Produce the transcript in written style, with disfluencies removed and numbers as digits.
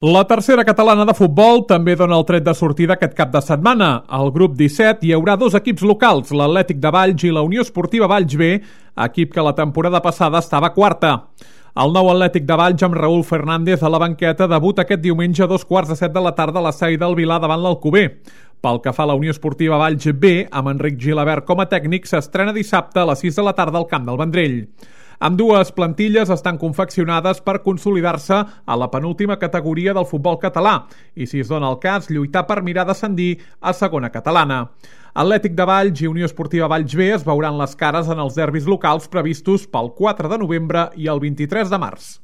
La tercera catalana de futbol també dona el tret de sortida aquest cap de setmana. Al grup 17 hi haurà dos equips locals, l'Atlètic de Valls i la Unió Esportiva Valls B, equip que la temporada passada estava quarta. El nou Atlètic de Valls amb Raúl Fernández a la banqueta debuta aquest diumenge a 2:15 de la tarda a la Sai del Vilar davant l'Alcover. Pel que fa a la Unió Esportiva Valls B, amb Enric Gilabert com a tècnic, s'estrena dissabte a les 6 de la tarda al Camp del Vendrell. Ambdues plantilles estan confeccionades per consolidar-se a la penúltima categoria del futbol català i, si es dona el cas, lluitar per mirar d'ascendir a segona catalana. Atlètic de Valls i Unió Esportiva Valls B es veuran les cares en els derbis locals previstos pel 4 de novembre i el 23 de març.